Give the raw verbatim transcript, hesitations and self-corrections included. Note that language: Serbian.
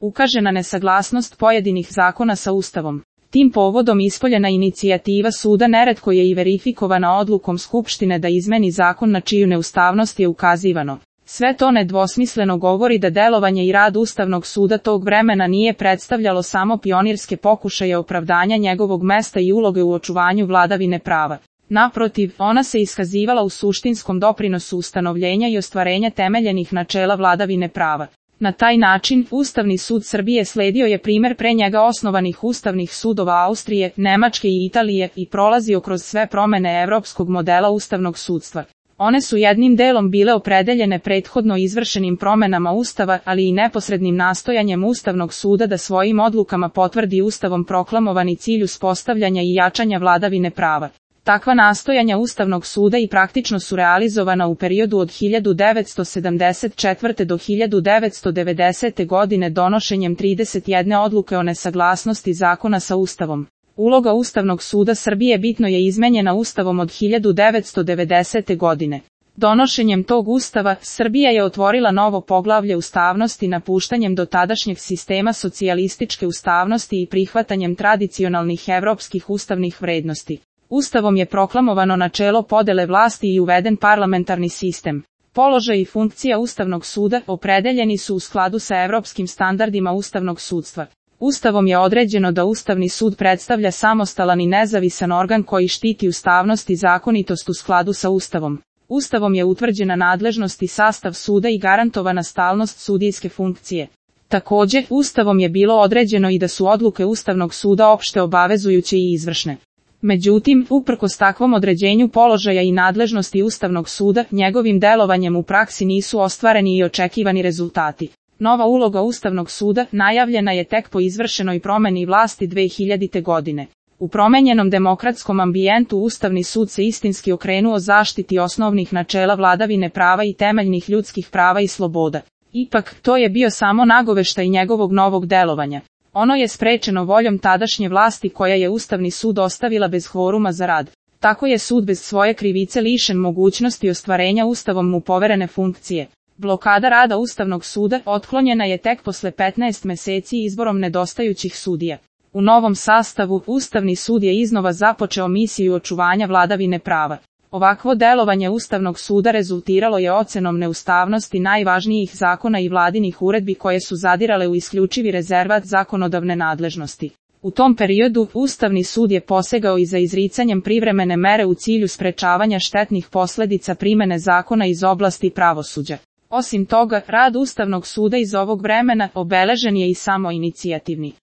ukaže na nesaglasnost pojedinih zakona sa Ustavom. Tim povodom ispoljena inicijativa suda neretko je i verifikovana odlukom Skupštine da izmeni zakon na čiju neustavnost je ukazivano. Sve to nedvosmisleno govori da delovanje i rad Ustavnog suda tog vremena nije predstavljalo samo pionirske pokušaje opravdanja njegovog mesta i uloge u očuvanju vladavine prava. Naprotiv, ona se iskazivala u suštinskom doprinosu ustanovljenja i ostvarenja temeljenih načela vladavine prava. Na taj način, Ustavni sud Srbije sledio je primer pre njega osnovanih ustavnih sudova Austrije, Nemačke i Italije i prolazio kroz sve promene evropskog modela ustavnog sudstva. One su jednim delom bile opredeljene prethodno izvršenim promenama Ustava, ali i neposrednim nastojanjem Ustavnog suda da svojim odlukama potvrdi Ustavom proklamovani cilj uspostavljanja i jačanja vladavine prava. Takva nastojanja Ustavnog suda i praktično su realizovana u periodu od hiljadu devetsto sedamdeset četvrte do hiljadu devetsto devedesete godine donošenjem trideset jedne odluke o nesaglasnosti zakona sa Ustavom. Uloga Ustavnog suda Srbije bitno je izmenjena Ustavom od hiljadu devetsto devedesete godine. Donošenjem tog Ustava, Srbija je otvorila novo poglavlje ustavnosti napuštanjem dotadašnjeg sistema socijalističke ustavnosti i prihvatanjem tradicionalnih evropskih ustavnih vrednosti. Ustavom je proklamovano načelo podele vlasti i uveden parlamentarni sistem. Položaj i funkcija Ustavnog suda opredeljeni su u skladu sa evropskim standardima ustavnog sudstva. Ustavom je određeno da Ustavni sud predstavlja samostalan i nezavisan organ koji štiti ustavnost i zakonitost u skladu sa Ustavom. Ustavom je utvrđena nadležnost i sastav suda i garantovana stalnost sudijske funkcije. Takođe, Ustavom je bilo određeno i da su odluke Ustavnog suda opšte obavezujuće i izvršne. Međutim, uprkos takvom određenju položaja i nadležnosti Ustavnog suda, njegovim delovanjem u praksi nisu ostvareni i očekivani rezultati. Nova uloga Ustavnog suda najavljena je tek po izvršenoj promeni vlasti dve hiljadite godine. U promenjenom demokratskom ambijentu Ustavni sud se istinski okrenuo zaštiti osnovnih načela vladavine prava i temeljnih ljudskih prava i sloboda. Ipak, to je bio samo nagoveštaj njegovog novog delovanja. Ono je sprečeno voljom tadašnje vlasti koja je Ustavni sud ostavila bez kvoruma za rad. Tako je sud bez svoje krivice lišen mogućnosti ostvarenja Ustavom mu poverene funkcije. Blokada rada Ustavnog suda otklonjena je tek posle petnaest meseci izborom nedostajućih sudija. U novom sastavu, Ustavni sud je iznova započeo misiju očuvanja vladavine prava. Ovakvo delovanje Ustavnog suda rezultiralo je ocenom neustavnosti najvažnijih zakona i vladinih uredbi koje su zadirale u isključivi rezervat zakonodavne nadležnosti. U tom periodu, Ustavni sud je posegao i za izricanjem privremene mere u cilju sprečavanja štetnih posledica primene zakona iz oblasti pravosuđa. Osim toga, rad Ustavnog suda iz ovog vremena obeležen je i samoinicijativni.